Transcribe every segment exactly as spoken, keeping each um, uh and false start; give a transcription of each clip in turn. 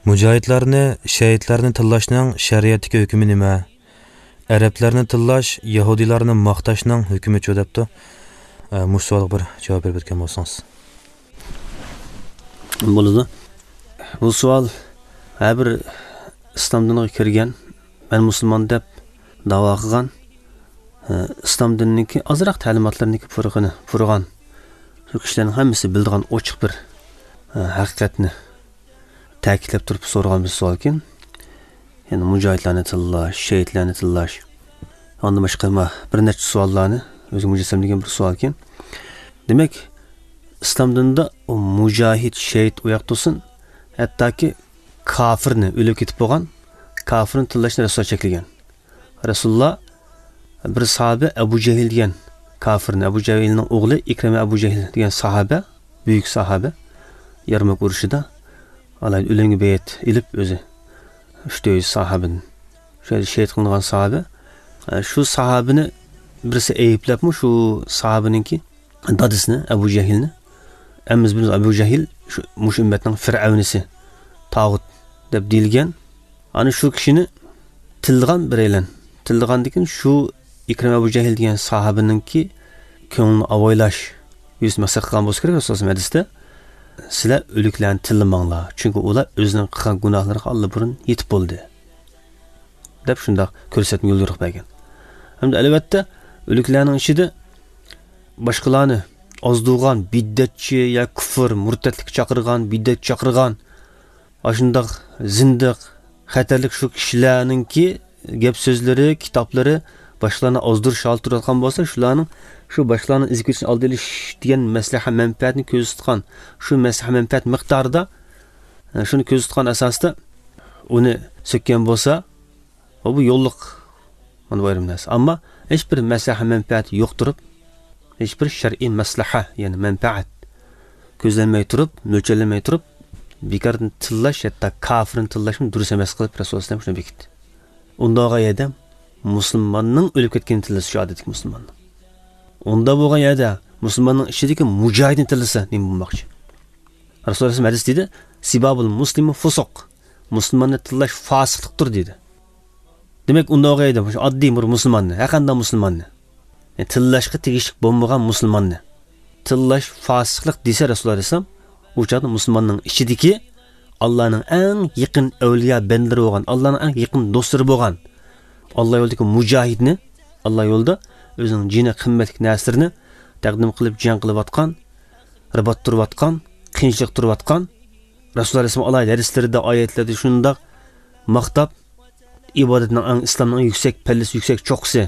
مۇجاھىدلارنى، شەھىدلەرنى تىللاشنىڭ شەرىئەتتىكى ھۆكمى نېمە؟ ئەرەبلەرنى تىللاش، يەھۇدىيلارنى ماختاشنىڭ ھۆكمىچۇ دەپتۇ. ئە، مۇشۇ سوئالغا بىر جاۋاب بېرىپ ئۆتكەن بولسىڭىز. بولىدۇ. بۇ سوئال ھەر بىر ئىسلام دىنىغا كىرگەن، مەن مۇسۇلمان دەپ داۋا قىلغان، ئە، ئىسلام دىنىنىڭكى ئازراق تەلىماتلىرىنىڭكى پۇرىقىنى پۇرىغان شۇ كىشىلەرنىڭ ھەممىسى بىلىدىغان ئوچۇق بىر، ئە، ھەقىقەتنى تەكىتلەپ تۇرۇپ سورىغان بىر سوئالكەن. يەنى مۇجاھىدلارنى تىللاش، شېھىتلەرنى تىللاش. ئاندىن باشقا ما بىر نەچچە سوئاللارنى ئۆزىگە مۇجەسسەملىگەن بىر سوئالكەن. دېمەك، ئىسلام دىنىدا ئۇ مۇجاھىد، شېھىت ئۇ ياق تۇرسۇن، ھەتتاكى كاپىرنى، ئۆلۈپ كېتىپ بولغان كاپىرنى تىللاشنى رەسۇلۇللا چەكلىگەن. رەسۇلۇللا بىر ساھابە ئەبۇ جەھىل دېگەن كاپىرنى، ئەبۇ جەھىلنىڭ ئوغلى ئىكرىمە ئەبۇ جەھىل دېگەن ساھابە، بۈيۈك ساھابە، يەرمۇك ئۇرۇشىدا ئالايىت ئۆلۈمگە بەيئەت ئېلىپ ئۆزى، ئۈچ تۆت يۈز ساھابىدىن شۇ يەردە شېھىت قىلىنغان ساھابە. شۇ ساھابىنى بىرسى ئەيىبلەپمۇ شۇ ساھابىنىڭكى دادىسىنى، ئەبۇ جەھىلنى. ھەممىمىز بىلىمىز، ئەبۇ جەھىل شۇ، مۇشۇ ئۈممەتنىڭ فىرئەۋنىسى، تاغۇت دەپ دېيىلگەن. ئانا شۇ كىشىنى تىللىغان بىرەيلەن. تىللىغاندىن كېيىن شۇ ئىكرىم ئەبۇ جەھىل دېگەن ساھابىنىڭكى كۆڭلىنى ئاۋايلاش يۈزىسىنى مەقسەت قىلغان بولسا كېرەك رەسۇلۇللا ھەدىستە، سىلەر ئۆلۈكلەرنى تىللىماڭلار، چۈنكى ئۇلار ئۆزىنىڭ قىلغان گۇناھلىرىغا ئاللىبۇرۇن يېتىپ بولدى، دەپ شۇنداق كۆرسەتمە يوليورۇق بەرگەن. ھەمدە ئەلۋەتتە ئۆلۈكلەرنىڭ ئىچىدە باشقىلارنى ئازدۇرغان بىدئەتچى يا كۇفر، مۇرتەتلىككە چاقىرغان، بىدئەتكە چاقىرغان، ئاشۇنداق زىندىق، خەتەرلىك شۇ كىشىلەرنىڭكى گەپ سۆزلىرى، كىتابلىرى باشقىلارنى ئازدۇرۇش ھالىتى تۇرۇۋاتقان بولسا، شۇلارنىڭ شۇ باشقىلارنىڭ ئىزىگە كېتىشىنى ئالدىنى ئېلىش دېگەن مەسلىھە مەنپەئەتنى كۆزدە تۇتقان، شۇ مەسلىھە مەنپەئەت مىقدارىدا، ئە، شۇنى كۆزدە تۇتقان ئاساستا ئۇنى سۆككەن بولسا، ۋە بۇ يوللۇق، مانا بۇ ئايرىم نەرسە. ئەمما ھېچ بىر مەسلىھە مەنپەئەتى يوق تۇرۇپ، ھېچ بىر شەرئىي مەسلىھە، يەنى مەنپەئەت كۆزلەنمەي تۇرۇپ، مۆلچەرلەنمەي تۇرۇپ، بىكاردىن تىللاش، ھەتتا كاپىرنى تىللاشمۇ دۇرۇس ئەمەس قىلىپ رەسۇلۇللا ئەلەيھىسسالام شۇنى بېكىتتى. ئۇنداق بولغان يەردە مۇسۇلماننىڭ ئۆلۈپ كەتكىنىنى تىللىسا شۇ ئادەتتىكى مۇسۇلماننىڭ. ئۇنداق بولغان يەردە مۇسۇلماننىڭ ئىچىدىكى مۇجاھىدنى تىللىسا نېمە بولماقچى؟ رەسۇلۇللا ئەلەيھىسسالام ھەدىس دېدى، سىبابۇل مۇسلىمى فۇسۇق. مۇسۇلماننى تىللاش فاسىقلىقتۇر دېدى. دېمەك، ئۇنداق بولغان يەردە مۇشۇ ئاددىي بىر مۇسۇلماننى، ھەرقانداق مۇسۇلماننى، يەنى تىللاشقا تېگىشلىك بولمىغان مۇسۇلماننى تىللاش فاسىقلىق دېسە رەسۇلۇللا ئەلەيھىسسالام، ئۇ چاغدا مۇسۇلماننىڭ ئىچىدىكى ئاللانىڭ ئەڭ يېقىن ئەۋلىيا بەندىلىرى بولغان، ئاللانىڭ ئەڭ يېقىن دوستلىرى بولغان، ئاللا يولىدىكى مۇجاھىدنى، ئاللا يولىدا ئۆزىنىڭ جېنى قىممەتلىك نەرسىلىرىنى تەقدىم قىلىپ جەڭ قىلىۋاتقان، رىبات تۇرۇۋاتقان، قىيىنچىلىق تۇرۇۋاتقان، رەسۇلۇللا ئەلەيھىسسالام ئالاھىدە ھەدىسلىرىدە، ئايەتلەردە شۇنداق ماختاپ، ئىبادەتنىڭ ئەڭ، ئىسلامنىڭ ئەڭ يۈكسەك پەللىسى، يۈكسەك چوققىسى.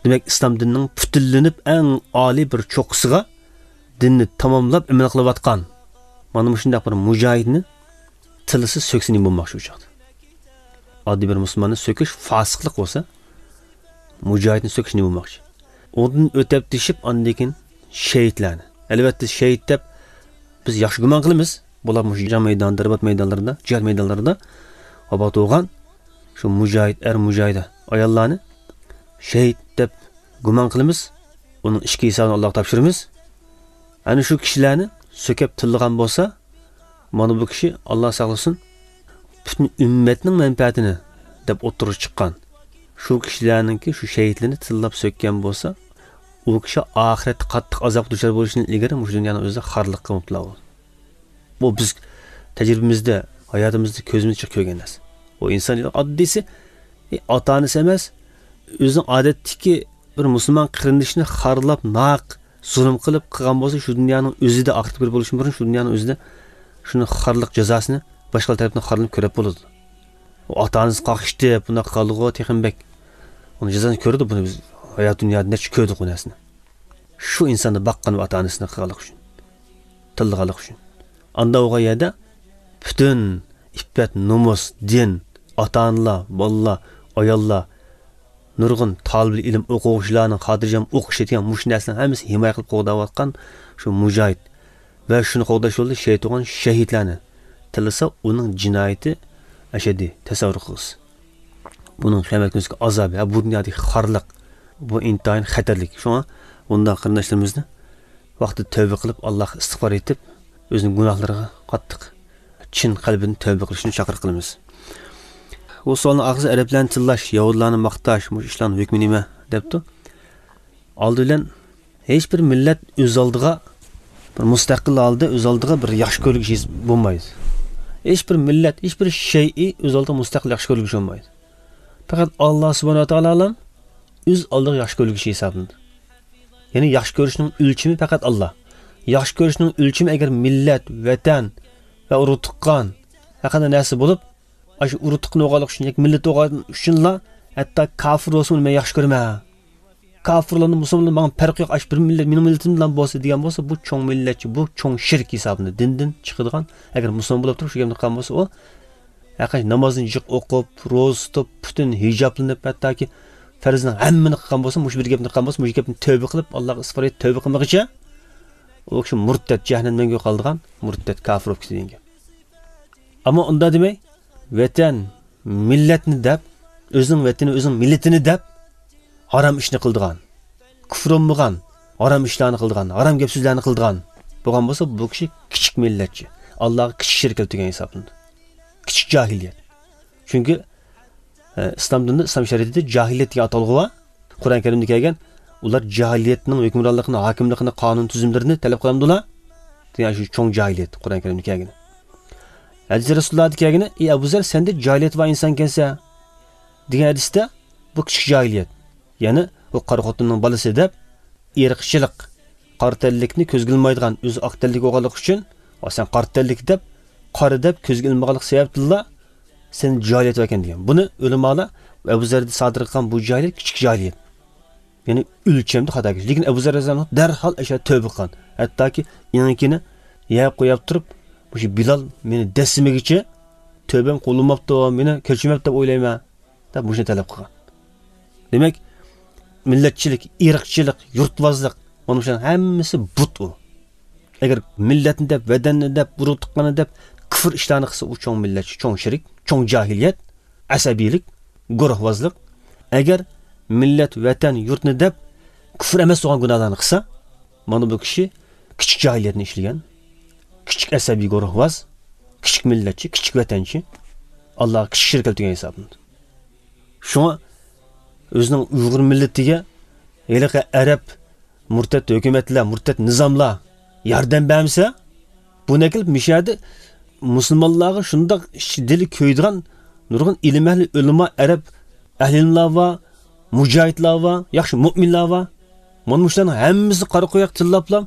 دېمەك، ئىسلام دىنىنىڭ پۈتۈنلىنىپ ئەڭ ئالىي بىر چوققىسىغا دىننى تاماملاپ ئەمەل قىلىۋاتقان مانا مۇشۇنداق بىر مۇجاھىدنى تىللىسا، سۆكسە نېمە بولماقچى ئۇ چاغدا؟ ئاددىي بىر مۇسۇلماننى سۆكۈش فاسىقلىق بولسا، مۇجاھىدنى سۆكۈش نېمە بولماقچى؟ ئۇندىن ئۆتەپ تېشىپ، ئاندىن كېيىن شېھىتلەرنى. ئەلۋەتتە، شېھىت دەپ بىز ياخشى گۇمان قىلىمىز. بۇلار مۇشۇ جەڭ مەيدانىدا، رىبات مەيدانلىرىدا، جىھاد مەيدانلىرىدا ۋاپات بولغان شۇ مۇجاھىد ئەر، مۇجاھىدە ئاياللارنى شېھىت دەپ گۇمان قىلىمىز. ئۇنىڭ ئىچكى ھېسابىنى ئاللاغا تاپشۇرىمىز. ئەنە شۇ كىشىلەرنى سۆكۈپ تىللىغان بولسا، مانا بۇ كىشى، ئاللا ساقلىسۇن، پۈتۈن ئۈممەتنىڭ مەنپەئەتىنى دەپ ئوتتۇرىغا چىققان شۇ كىشىلەرنىڭكى شۇ شېھىتلىرىنى تىللاپ سۆككەن بولسا، ئۇ كىشى ئاخىرەتتە قاتتىق ئازابقا دۇچار بولۇشتىن ئىلگىرى مۇشۇ دۇنيانىڭ ئۆزىدە خارلىققا مۇپتىلا بولىدۇ. بۇ بىز تەجرىبىمىزدە، ھاياتىمىزدا كۆزىمىز چىقىپ كۆرگەن نەرسە. بۇ ئىنسان ئاددىيسى، ئاتا-ئانىسى ئەمەس، ئۆزىنىڭ ئادەتتىكى بىر مۇسۇلمان قېرىندىشىنى خارلاپ، ناھەق زۇلۇم قىلىپ قىلغان بولسا، شۇ دۇنيانىڭ ئۆزىدە، ئاخىرەتكە بىر بولۇشتىن بۇرۇن شۇ دۇنيانىڭ ئۆزىدە شۇنى خارلىق جازاسىنى باشقىلار تەرىپىدىن خارلىنىپ كۆرۈپ بولىدۇ. ئۇ ئاتا-ئانىسى قاقشىتىپ، بۇنداق قىلغانلىقىغا تېخىمۇ بەك ئۇنىڭ جازاسىنى كۆرىدۇ. بۇنى بىز ھايات دۇنيادا نەچچە كۆردۇق بۇ نەرسىنى. شۇ ئىنساننى باققان ۋە ئاتا-ئانىسىنى قىلغانلىقى ئۈچۈن، تىللىغانلىقى ئۈچۈن. ئاندا بولغان يەردە پۈتۈن ئىپپەت، نومۇس، دىن، ئاتا-ئانىلار، بالىلار، ئاياللار، نۇرغۇن تالىبىل ئىلىم ئوقۇغۇچىلارنىڭ خاتىرجەم ئوقۇشى دېگەن مۇشۇ نەرسىلەرنىڭ ھەممىسىنى ھىمايە قىلىپ قوغداۋاتقان شۇ مۇجاھىد ۋە شۇنى قوغداش يولىدا شېھىت بولغان شەھىدلەرنى تىللىسا، ئۇنىڭ جىنايىتى ئەشەددىي، تەسەۋۋۇر قىلىسىز. بۇنىڭ قىيامەت كۈنىسىدىكى ئازابى، ھە، بۇ دۇنيادىكى خارلىق، بۇ ئىنتايىن خەتەرلىك. شۇڭا بۇنداق قېرىنداشلىرىمىزنى ۋاقتىدا تەۋبە قىلىپ، ئاللاغا ئىستىغپار ئېيتىپ، ئۆزىنىڭ گۇناھلىرىغا قاتتىق چىن قەلبىدىن تەۋبە قىلىشنى چاقىرىق قىلىمىز. بۇ سوئالنىڭ ئاخىرىسى ئەرەبلەرنى تىللاش، يەھۇدىيلارنى ماختاش، مۇشۇ ئىشلارنىڭ ھۆكمى نېمە دەپتۇ. ئالدى بىلەن ھېچ بىر مىللەت ئۆز ئالدىغا بىر مۇستەقىل ھالدا ئۆز ئالدىغا بىر ياخشى كۆرۈلگۈچى بولمايدۇ. ھېچ بىر مىللەت، ھېچ بىر شەيئى ئۆز ئالدىغا مۇستەقىل ياخشى كۆرۈلگۈچى بولمايدۇ. پەقەت ئاللا سۇبھانەھۇ ۋە تائالا ئۆز ئالدىغا ياخشى كۆرۈلگۈچى ھېسابلىنىدۇ. يەنى ياخشى كۆرۈشنىڭ ئۆلچىمى پەقەت ئاللا. ياخشى كۆرۈشنىڭ ئۆلچىمى ئەگەر مىللەت، ۋەتەن ۋە ئۇرۇق تۇغقان ھەققىدە نەرسە بولۇپ، ئاشۇ ئۇرۇق تۇغقىنى بولغانلىقى ئۈچۈن ياكى مىللىتى بولغانلىقى ئۈچۈنلا ھەتتا كاپىر بولسىمۇ مەن ياخشى كۆرىمەن. كاپىرلارنى، مۇسۇلمانلار ماڭا پەرقى يوق، ئاشۇ بىر مىللەت، مېنىڭ مىللىتىم بىلەن بولسا دېگەن بولسا، بۇ چوڭ مىللەتچى، بۇ چوڭ شىرك ھېسابلىنىدۇ. دىندىن چىقىدىغان، ئەگەر مۇسۇلمان بولۇپ تۇرۇپ شۇ گەپنى قىلغان بولسا، ئۇ ھەقىقەتەن نامازنى جىق ئوقۇپ، روزا تۇتۇپ، پۈتۈن ھىجابلىنىپ، ھەتتاكى پەرزنىڭ ھەممىنى قىلغان بولسا، مۇشۇ بىر گەپنى قىلغان بولسا، مۇشۇ گەپنى تەۋبە قىلىپ، ئاللاغا ئىستىغپار ئېيتىپ تەۋبە قىلمىغىچە، ئۇ كىشى مۇرتەت، جەھەننەمدە مەڭگۈ قالىدىغان مۇرتەت، كاپىر بولۇپ كېتىدۇ دېگەن گەپ. ئەمما ئۇنداق دېمەي، ۋەتەن، مىللەتنى دەپ، ئۆزىنىڭ ۋەتىنى، ئۆزىنىڭ مىللىتىنى دەپ، ھارام ئىشنى قىلىدىغان، كۇفرى بولمىغان، ھارام ئىشلارنى قىلىدىغان، ھارام گەپ سۆزلەرنى قىلىدىغان بولغان بولسا، بۇ كىشى كىچىك مىللەتچى، ئاللاغا كىچىك شېرىك كەلتۈرگەن ھېسابلىنىدۇ. كىچىك جاھىلىيەت. چۈنكى، ئە، ئىسلام دىنىدا، ئىسلام شەرىئىتىدە جاھىلىيەت دېگەن ئاتالغۇ بار. قۇرئان كەرىمدە كەلگەن، ئۇلار جاھىلىيەتنىڭ ھۆكۈمرانلىقىنى، ھاكىملىقىنى، قانۇن تۈزۈملىرىنى تەلەپ قىلامدۇلار؟ دېگەن شۇ چوڭ جاھىلىيەت قۇرئان كەرىمدە كەلگىنى. ھەدىسى رەسۇلۇللاھدا كەلگىنى، ئى ئەبۇ زەر، سەندە جاھىلىيەت بار ئىنسانكەنسەن، دېگەن ھەدىستە، بۇ كىچىك جاھىلىيەت. يەنى ئۇ قارا خوتۇننىڭ بالىسى دەپ، ئىرقچىلىق، قارا تەنلىكنى كۆزگە ئىلمايدىغان، ئۆزى ئاق تەنلىك بولغانلىقى ئۈچۈن، ۋا سەن قارا تەنلىك دەپ، قارا دەپ كۆزگە ئىلمىغانلىق سەۋەبتىنلا سەندە جاھىلىيەت باركەن دېگەن. بۇنى ئۆلىمالار ئەبۇ زەردە سادىر قىلغان بۇ جاھىلىيەت كىچىك جاھىلىيەت. يەنى ئۆلچەمدە خاتا كەلگەن. لېكىن ئەبۇ زەر رەزىياللاھۇ ئەنھۇ دەرھال ئەشۇ تەۋبە قىلغان. ھەتتاكى ئېڭىكىنى يەرگە قويۇپ تۇرۇپ، مۇشۇ بىلال مېنى دەسسىمىگىچە تەۋبەم قوبۇل بولماپتۇ، مېنى كەچۈرمەپتۇ دەپ ئويلايمەن، دەپ مۇشۇنى تەلەپ قىلغان. دېمەك، مىللەتچىلىك، ئىرقچىلىق، يۇرتۋازلىق، مانا مۇشۇلارنىڭ ھەممىسى بۇت ئۇ. ئەگەر مىللەتنى دەپ، ۋەتەننى دەپ، ئۇرۇق تۇغقاننى دەپ، كۇفر ئىشلارنى قىلسا، ئۇ چوڭ مىللەتچى، چوڭ شىرك، چوڭ جاھىلىيەت، ئەسەبىيلىك، گۇرۇھۋازلىق. ئەگەر مىللەت، ۋەتەن، يۇرتنى دەپ، كۇفر ئەمەس بولغان گۇناھلارنى قىلسا، مانا بۇ كىشى كىچىك جاھىلىيەتنى ئىشلىگەن، كىچىك ئەسەبىي گۇرۇھۋاز، كىچىك مىللەتچى، كىچىك ۋەتەنچى، ئاللاغا كىچىك شېرىك كەلتۈرگەن ھېسابلىنىدۇ. شۇڭا ئۆزىنىڭ ئۇيغۇر مىللىتىگە ھېلىقى ئەرەب مۇرتەت ھۆكۈمەتلەر، مۇرتەت نىزاملار ياردەم بەرمىسە، بۇنى ئەكېلىپ مۇشۇ يەردە مۇسۇلمانلارغا شۇنداق ئىچ دىلى كۆيىدىغان نۇرغۇن ئىلىم ئەھلى، ئۆلىما، ئەرەب ئەھلى ئىلىملار بار، مۇجاھىدلار بار، ياخشى مۇئمىنلار بار. مانا مۇشۇلارنىڭ ھەممىسىنى قارا قوياق تىللاپلا،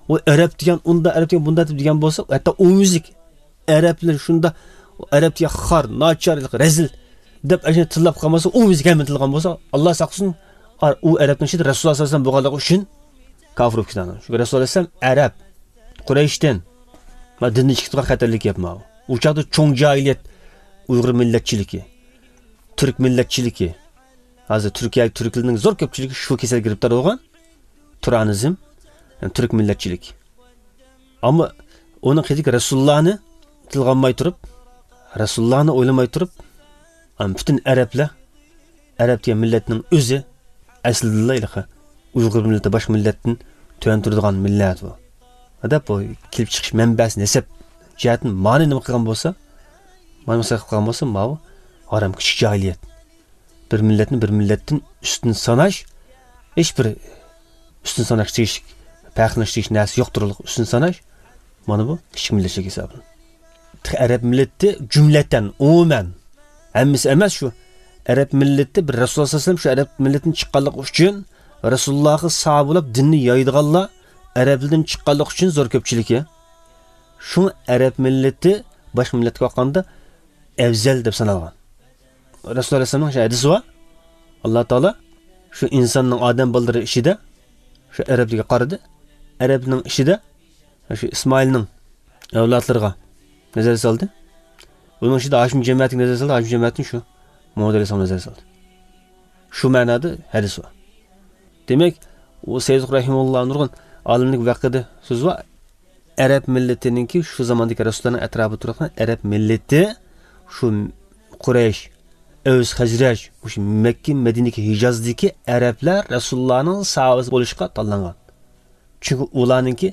ئۇ ئەرەب دېگەن ئۇنداق، ئەرەب دېگەن بۇنداق دەپ دېگەن بولسا، ھەتتا ئومۇميۈزلۈك ئەرەبلەر شۇنداق، ئەرەب دېگەن خار، ناچار، رەزىل دەپ ئەشۇنى تىللاپ قالمىسا، ئومۇميۈزلۈك ھەممىنى تىللىغان بولسا، ئاللا ساقلىسۇن، ئۇ ئەرەبنىڭ ئىچىدە رەسۇلۇللا سەللەللاھۇ ئەلەيھى ۋەسەللەم بولغانلىقى ئۈچۈن كاپىر بولۇپ كېتىدۇ. چۈنكى رەسۇلۇللا ئەلەيھىسسالام ئەرەب، قۇرەيشتىن، ما دىندىن چىقىپ تۇرغان خەتەرلىك گەپ ماۋۇ. ئۇ چاغدا چوڭ جاھىلىيەت، ئۇيغۇر مىللەتچىلىكى، تۈرك مىللەتچىلىكى، ھازىر تۈركىيە، تۈركلەرنىڭ زور كۆپچىلىكى شۇ كېسەلگە گىرىپتار بولغان، تۇرانىزم، يەنى تۈرك مىللەتچىلىك. ئەمما ئۇنىڭ قېتىدىكى رەسۇلۇللانى تىلغا ئالماي تۇرۇپ، رەسۇلۇللانى ئويلىماي تۇرۇپ، ئەم، پۈتۈن ئەرەبلەر، ئەرەب دېگەن مىللەتنىڭ ئۆزى ئەسلىدىلا ھېلىقى ئۇيغۇر مىللىتى باشقا مىللەتتىن تۆۋەن تۇرىدىغان مىللەت بۇ. دەپ بۇ كېلىپ چىقىش مەنبەسى نەسەب جەھەتتىن مانى نېمە قىلغان بولسا، مانى مەسخىرە قىلغان بولسا، ماۋۇ ھارام كىچىك جاھىلىيەت. بىر مىللەتنى بىر مىللەتتىن ئۈستۈن ساناش، ھېچ بىر ئۈستۈن ساناشقا تېگىشلىك، پەخىرلىنىشقا تېگىشلىك نەرسە يوقتۇرلۇق ئۈستۈن ساناش، مانا بۇ كىچىك مىللەتچىلىك ھېسابلىنىدۇ. تېخى ئەرەب مىللىتى جۈملەتەن، ئومۇمەن، ھەممىسى ئەمەس شۇ. ئەرەب مىللىتى بىر رەسۇلۇللا سەللەللاھۇ ئەلەيھى ۋەسەللەم شۇ ئەرەب مىللىتىدىن چىققانلىقى ئۈچۈن رەسۇلۇللاغا ساھابە بولۇپ دىننى يايىدىغانلار ئەرەبلەردىن چىققانلىقى ئۈچۈن زور كۆپچىلىكى. شۇڭا ئەرەب مىللىتى باشقا مىللەتكە قارىغاندا ئەۋزەل دەپ سانالغان. رەسۇلۇللا ئەلەيھىسسالامنىڭ ھەدىسى بار. ئاللا تائالا شۇ ئىنساننىڭ، ئادەم بالىلىرى ئىچىدە شۇ ئەرەبلەرگە قارىدى. ئەرەبنىڭ ئىچىدە شۇ ئىسمائىلنىڭ ئەۋلادلىرىغا نەزەر سالدى. ئۇنىڭ ئىچىدە ھاشىم جەمەتىگە نەزەر سالدى. ھاشىم جەمەتتىن شۇ مۇھەممەد ئەلەيھىسسالامغا نەزەر سالدى. شۇ مەنادا ھەدىس بار. دېمەك، ئۇ سەييىد رەھىمۇللا نۇرغۇن ئالىملىك ۋەقىدە سۆزى بار. ئەرەب مىللىتىنىڭكى شۇ زاماندىكى رەسۇللارنىڭ ئەتراپىدا تۇرغان ئەرەب مىللىتى شۇ قۇرەيش، ئەۋس، خەزرەج، مۇشۇ مەككە، مەدىنىدىكى، ھىجازدىكى ئەرەبلەر رەسۇلۇللانىڭ ساھابىسى بولۇشقا تاللانغان. چۈنكى ئۇلارنىڭكى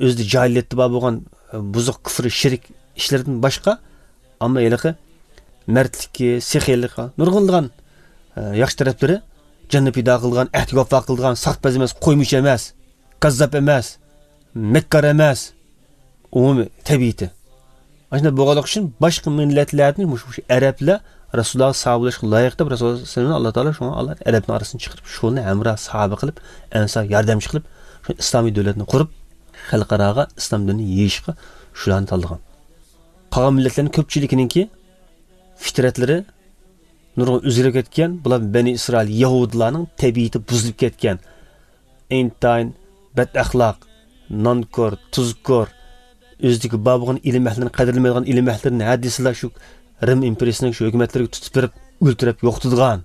ئۆزىدە جاھىلىيەتتە بار بولغان، ئە، بۇزۇق كۇفر، شىرك، ئىشلىرىدىن باشقا، ئەمما ھېلىقى مەردلىكى، سېخىيلىقى، نۇرغۇنلىغان، ئە، ياخشى تەرەپلىرى، جاننى پىدا قىلىدىغان، ئەھدىگە ۋاپا قىلىدىغان، ساختىپەز ئەمەس، قويمىچى ئەمەس، كاززاپ ئەمەس، مەككار ئەمەس، ئومۇمىي تەبىئىتى. ئاشۇنداق بولغانلىقى ئۈچۈن باشقا مىللەتلەردىن مۇشۇ، مۇشۇ ئەرەبلەر رەسۇلۇللاغا ساھابە بولۇشقا لايىق دەپ رەسۇلۇللا سەللەللاھۇ ئەلەيھى ۋەسەللەم ئاللا تائالا شۇڭا ئاللا ئەرەبنىڭ ئارىسىدىن چىقىرىپ، شۇلارنى ھەمراھ ساھابە قىلىپ، ئەنسار ياردەمچى قىلىپ، شۇ ئىسلامىي دۆلەتنى قۇرۇپ، خەلقئاراغا ئىسلام دىنىنى يېيىشقا شۇلارنى تاللىغان. قالغان مىللەتلەرنىڭ كۆپچىلىكىنىڭكى فىترەتلىرى نۇرغۇن ئۆزگىرىپ كەتكەن، بۇلار بەنى ئىسرائىل، يەھۇدىيلارنىڭ تەبىئىتى بۇزۇلۇپ كەتكەن. ئىنتايىن بەتئەخلاق، نانكور، تۇزكور، ئۆزىدىكى بار بولغان ئىلىم ئەھلىنى قەدىرلىمەيدىغان ئىلىم ئەھلىنى ھە دېسىلا شۇ رىم ئىمپېرىيىسىنىڭ شۇ ھۆكۈمەتلىرىگە تۇتۇپ بېرىپ، ئۆلتۈرۈپ يوقىتىدىغان.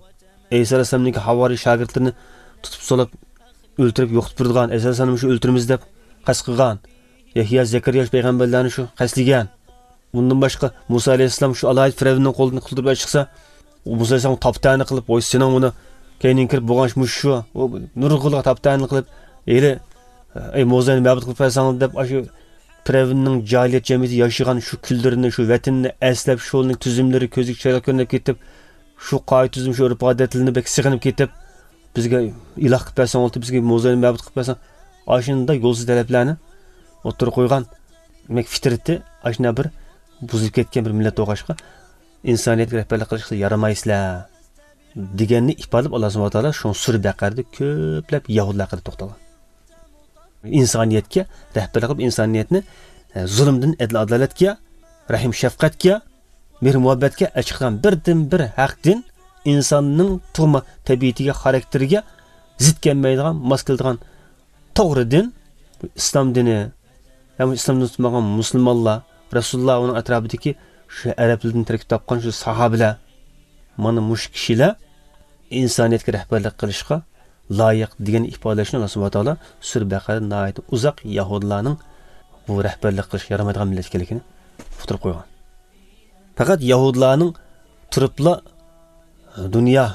ئەيسا ئەلەيھىسسالامنىڭكى ھاۋارىي شاگىرتلىرىنى تۇتۇپ سولاپ، ئۆلتۈرۈپ يوقىتىپ بېرىدىغان. ئەيسا ئەلەيھىسسالامنى شۇ ئۆلتۈرىمىز دەپ قەست قىلغان. يەھيا، زەكەرىيا شۇ پەيغەمبەرلەرنى شۇ قەستلىگەن. ئۇندىن باشقا، مۇسا ئەلەيھىسسالام شۇ ئالاھىدە فىرئەۋننىڭ قولىدىن قۇتۇلدۇرۇپ چىقسا، مۇسا ئەلەيھىسسالام تاپتانە قىلىپ، ۋاي، سېنىڭ بۇنى كەينىڭ كىرىپ بولغان مۇشۇ شۇ، ئۇ نۇرغۇنلىغان تاپتانە قىلىپ، ھېلى، ئەي، موزاينى مەبۇد قىلىپ بەرسەڭ دەپ، ئاشۇ پىرئەۋننىڭ جاھىلىيەت جەمئىيىتىدە ياشىغان شۇ كۈنلىرىنى، شۇ ۋەتىنىنى ئەسلەپ، شۇنىڭ تۈزۈملىرى كۆزىگە چىرايلىق كۆرۈنۈپ كېتىپ، شۇ قائىدە تۈزۈم، شۇ ئۆرپ ئادەتلىرىنى بەك سېغىنىپ كېتىپ، بىزگە ئىلاھ قىلىپ بەرسەڭ بولدى، بىزگە موزاينى مەبۇد قىلىپ بەرسەڭ، ئاشۇنداق يولسىز تەلەپلەرنى ئوتتۇرىغا قويغان. دېمەك، فىترىتى ئاشۇنداق بىر بۇزۇلۇپ كەتكەن بىر مىللەت بولغاچقا، ئىنسانىيەتكە رەھبەرلىك قىلىشقا يارىمايسىلەر دېگەننى ئىپادىلەپ، ئاللا سۇبھانەھۇ ۋە تائالا شۇ سۈرە بەقەرىدە كۆپلەپ يەھۇدىيلار ھەققىدە توختالغان. ئىنسانىيەتكە رەھبەرلىك قىلىپ، ئىنسانىيەتنى، ئە، زۇلۇمدىن ئەدىل-ئادالەتكە، رەھىم-شەپقەتكە، مېھىر-مۇھەببەتكە ئەچىقىدىغان بىردىنبىر ھەق دىن، ئىنساننىڭ تۇغما تەبىئىتىگە، خاراكتېرىگە زىت كەلمەيدىغان، ماس كېلىدىغان توغرا دىن، ئىسلام دىنى. ھەم ئىسلام دىنى تۇتمىغان مۇسۇلمانلار، رەسۇلۇللا، ئۇنىڭ ئەتراپىدىكى شۇ ئەرەبلەردىن تەركىب تاپقان شۇ ساھابىلەر، مانا مۇشۇ كىشىلەر ئىنسانىيەتكە رەھبەرلىك قىلىشقا لايىق دېگەننى ئىپادىلەشنى ئاللا سۇبھانەھۇ ۋە تائالا سۈرە بەقەرىدە ناھايىتى ئۇزاق يەھۇدىيلارنىڭ بۇ رەھبەرلىك قىلىشقا يارىمايدىغان مىللەت ئىكەنلىكىنى ئۇقتۇرۇپ قويغان. پەقەت يەھۇدىيلارنىڭ تۇرۇپلا دۇنيا،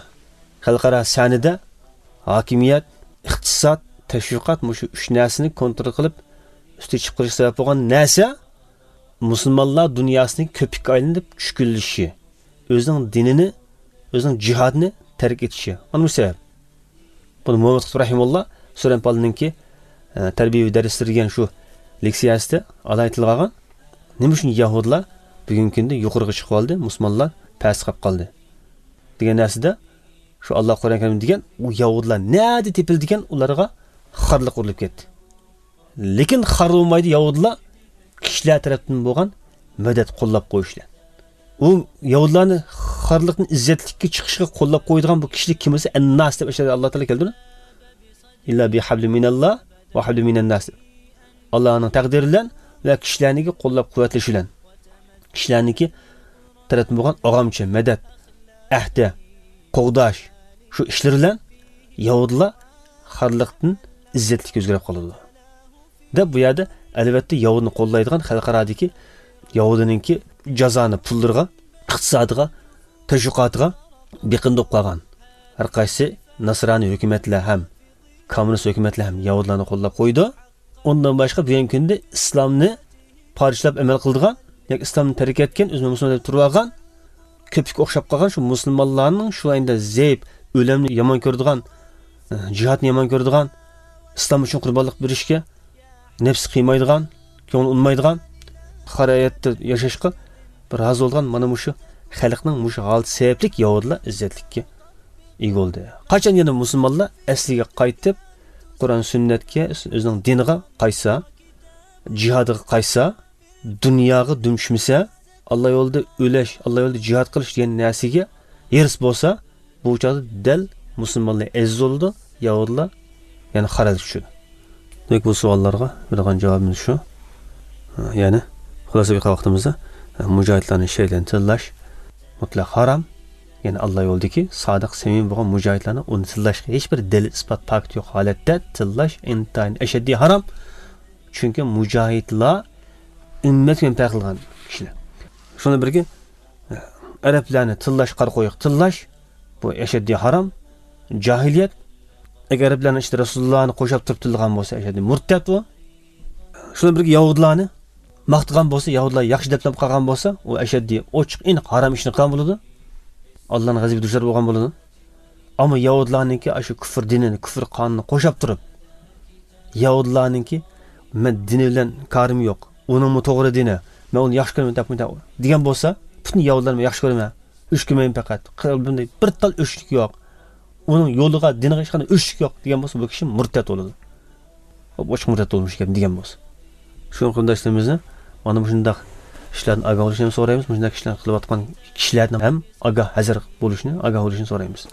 خەلقئارا سەھنىدە ھاكىمىيەت، ئىقتىساد، تەشۋىقات، مۇشۇ ئۈچ نەرسىنى كونترول قىلىپ، ئۈستىگە چىقىپ قېلىشقا سەۋەب بولغان نەرسە، مۇسۇلمانلار دۇنياسىنىڭ كۆپۈككە ئايلىنىپ چۈشكۈنلىشىشى، ئۆزىنىڭ دىنىنى، ئۆزىنىڭ جىھادىنى تەرك ئېتىشى. ئەنە بۇ سەۋەب. بۇنى مۇھەممەد قۇتۇپ رەھىمۇللا سۈرەن پالىنىڭكى، ئە، تەربىيەۋى دەرسلىرى دېگەن شۇ لېكسىيەسىدە ئالاھىدە تىلغا ئالغان. نېمە ئۈچۈن يەھۇدىيلار بۈگۈنكى كۈندە يۇقىرىغا چىقىۋالدى، مۇسۇلمانلار پەستە قېلىپ قالدى دېگەن نەرسىدە شۇ ئاللا قۇرئان كەرىمدە دېگەن، ئۇ يەھۇدىيلار نەدە تېپىلدىكەن، ئۇلارغا خارلىق ئۇرۇلۇپ كەتتى. لېكىن خار بولمايدۇ يەھۇدىيلار كىشىلەر تەرەپتىن بولغان مەدەت، قوللاپ قويۇش بىلەن. ئۇ يەھۇدىيلارنى خارلىقتىن ئىززەتلىككە چىقىشقا قوللاپ قويىدىغان بۇ كىشىلىك كىم بولسا، ئەنناس دەپ ئەشەدە ئاللا تائالا كەلتۈردى. ئىللا بىھەبلىم مىنەللا ۋە ھەبلىم مىنەنناس دەپ. ئاللانىڭ تەقدىرى بىلەن ۋە كىشىلەرنىڭكى قوللاپ قۇۋۋەتلىشى بىلەن. كىشىلەرنىڭكى تەرەپتىن بولغان ئاغامچە، مەدەت، ئەھدە، قوغداش، شۇ ئىشلىرى بىلەن يەھۇدىيلار خارلىقتىن ئىززەتلىككە ئۆزگىرىپ قالىدۇ. دەپ بۇ يەردە ئەلۋەتتە يەھۇدىينى قوللايدىغان خەلقئارادىكى يەھۇدىينىڭكى جازانى پۇللىرىغا، ئىقتىسادىغا، تەشۋىقاتىغا بېقىندۇرۇپ قالغان ھەر قايسى ناسرانىي ھۆكۈمەتلەر ھەم كوممۇنىست ھۆكۈمەتلەر ھەم يەھۇدىيلارنى قوللاپ قويىدۇ. ئۇندىن باشقا بۈگۈنكى كۈندە ئىسلامنى پارچىلاپ ئەمەل قىلىدىغان ياكى ئىسلامنى تەرك ئەتكەن، ئۆزىنى مۇسۇلمان دەپ تۇرۇۋالغان، كۆپۈككە ئوخشاپ قالغان شۇ مۇسۇلمانلارنىڭ شۇ ئەينىدە زەئىپ، ئۆلۈمنى يامان كۆرىدىغان، جىھادنى يامان كۆرىدىغان، ئىسلام ئۈچۈن قۇربانلىق بېرىشكە نەپسى قىيمايدىغان، كۆڭلى ئۇنىمايدىغان، خار ھاياتتا ياشاشقا بىر رازى بولغان مانا مۇشۇ خەلقنىڭ مۇشۇ ھالىتى سەۋەبلىك يەھۇدىيلار ئىززەتلىككە ئىگە بولدى. قاچان يەنە مۇسۇلمانلار ئەسلىگە قايتىپ، قۇرئان سۈننەتكە، ئۆزىنىڭ دىنىغا قايتسا، جىھادىغا قايتسا، دۇنياغا دۈم چۈشمىسە، ئاللا يولىدا ئۆلۈش، ئاللا يولىدا جىھاد قىلىش دېگەن نەرسىگە ھېرىس بولسا، بۇ چاغدا دەل مۇسۇلمانلار ئەزىز بولىدۇ، يەھۇدىيلار يەنە خار ھالەتكە چۈشىدۇ. دېمەك، بۇ سوئاللارغا بېرىدىغان جاۋابىمىز شۇ. يەنى، خۇلاسە قىلغان ۋاقتىمىزدا، مۇجاھىدلارنى شەھىدلەرنى تىللاش مۇتلەق ھارام. يەنى، ئاللا يولىدىكى سادىق، سەمىمىي بولغان مۇجاھىدلارنى ئۇنى تىللاشقا ھېچبىر دەلىل، ئىسپات، پاكىت يوق ھالەتتە تىللاش ئىنتايىن ئەشەددىي ھارام. چۈنكى مۇجاھىدلار ئۈممەت بىلەن پەرق قىلغان كىشىلەر. شۇنىڭ بىرگە، ئەرەبلەرنى تىللاش، قارا قويۇق تىللاش، بۇ ئەشەددىي ھارام، جاھىلىيەت. ئەگەر ئەرەبلەرنىڭ ئىچىدە رەسۇلۇللانى قوشاپ تۇرۇپ تىللىغان بولسا، ئەشەددىي مۇرتەت ئۇ. شۇنىڭ بىرگە يەھۇدىيلارنى ماختىغان بولسا، يەھۇدىيلار ياخشى دەپلەپ قالغان بولسا، ئۇ ئەشەددىي ئوچۇق، ئېنىق ھارام ئىشنى قىلغان بولىدۇ. ئاللانىڭ غەزىپىگە دۇچار بولغان بولىدۇ. ئەمما يەھۇدىيلارنىڭكى ئاشۇ كۇفر دىنىنى، كۇفر قانۇنىنى قوشاپ تۇرۇپ، يەھۇدىيلارنىڭكى مەن دىنى بىلەن كارىم يوق، ئۇنىڭمۇ توغرا دىنى، مەن ئۇنى ياخشى كۆرىمەن دەپ دېگەن بولسا، پۈتۈن يەھۇدىيلارنى مەن ياخشى كۆرىمەن، ئۆچ كۆرمەيمەن پەقەت، قەلبىمدە بىر تال ئۆچلۈك يوق، ئۇنىڭ يولىغا، دىنىغا ھېچقانداق ئۆچلۈك يوق دېگەن بولسا، بۇ كىشى مۇرتەت بولىدۇ. ئوچۇق مۇرتەت بولمىش ئىكەن دېگەن بولسا. شۇڭا قېرىنداشلىرىمىزنى مانا مۇشۇنداق ئىشلاردىن ئاگاھ بولۇشنى ھەم سورايمىز، مۇشۇنداق ئىشلارنى قىلىۋاتقان كىشىلەردىن ھەم ئاگاھ، ھەزەر بولۇشنى، ئاگاھ بولۇشنى سورايمىز.